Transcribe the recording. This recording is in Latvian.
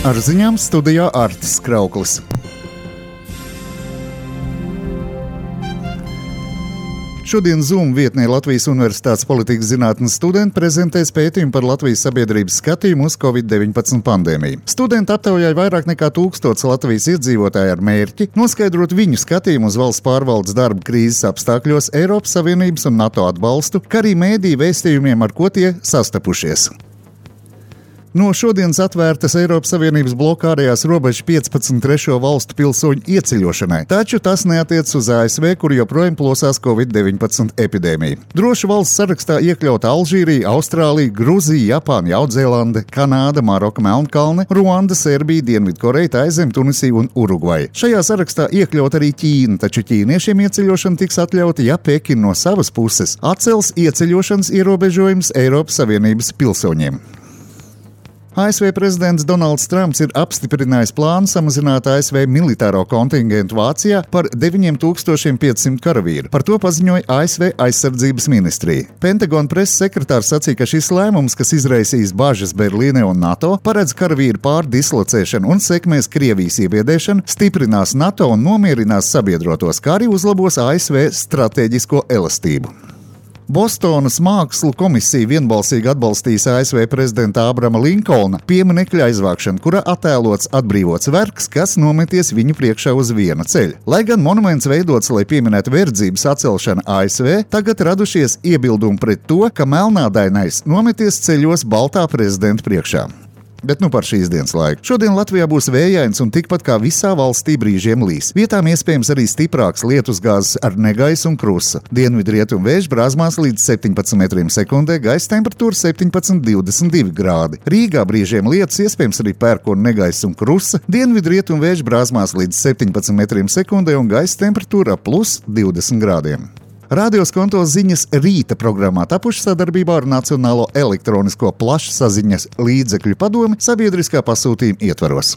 Ar ziņām studijā Artis Krauklis. Šodien Zoom vietnē Latvijas Universitātes politikas zinātnes studenti prezentēs pētījumu par Latvijas sabiedrības skatījumu uz Covid-19 pandēmiju. Studenti aptaujāja vairāk nekā 1000 Latvijas iedzīvotāju ar mērķi noskaidrot viņu skatījumu uz valsts pārvaldes darba krīzes apstākļos, Eiropas Savienības un NATO atbalstu, kā arī mēdīju vēstījumiem, ar ko tie sastapušies. No šodienas atvērtas Eiropas Savienības bloka ārējās robežas 15 trešo valstu pilsoņu ieceļošanai, taču tas neatiec uz ASV, kur joprojām plosās Covid-19 epidēmija. Drošu valsts sarakstā iekļauta Alžīrija, Austrālija, Gruzija, Japāna, Jaunzēlande, Kanāda, Maroka, Melnkalne, Ruanda, Serbija, Dienvidkoreja, Taizeme, Tunisija un Urugvaja. Šajā sarakstā iekļaut arī Ķīna, taču ķīniešiem ieceļošana tiks atļauta, ja Pekina no savas puses atcels ieceļošanas ierobežojumus Eiropas Savienības pilsoņiem. ASV prezidents Donalds Trumps ir apstiprinājis plānu samazināt ASV militāro kontingentu Vācijā par 9500 karavīru. Par to paziņoja ASV aizsardzības ministrija. Pentagona preses sekretārs sacīja, ka šis lēmums, kas izraisīs bažas Berlīnē un NATO, paredz karavīru pārdislocēšanu un sekmēs Krievijas iebiedēšanu, stiprinās NATO un nomierinās sabiedrotos, kā arī uzlabos ASV stratēģisko elastību. Bostonas mākslu komisija vienbalsīgi atbalstīs ASV prezidenta Abrama Linkolna pieminekļa aizvākšanu, kurā attēlots atbrīvots vergs, kas nometies viņu priekšā uz viena ceļa. Lai gan monuments veidots, lai pieminētu verdzības atcelšanu ASV, tagad radušies iebildumi pret to, ka melnādainais nometies ceļos baltā prezidenta priekšā. Bet nu par šīs dienas laiku. Šodien Latvijā būs vējains un tikpat kā visā valstī brīžiem līs. Vietām iespējams arī stiprāks lietusgāzes ar negaisu un krusa. Dienvidrietumu vējš brāzmās līdz 17 metriem sekundē, gaisa temperatūra 17–22 grādi. Rīgā brīžiem lietus, iespējams arī pērkona negaisa un krusa. Dienvidrietumu vējš brāzmās līdz 17 metriem sekundē un gaisa temperatūra plus 20 grādiem. Radio Skonto ziņas rīta programmā tapuši sadarbībā ar Nacionālo elektronisko plašsaziņas līdzekļu padomi sabiedriskā pasūtījuma ietvaros.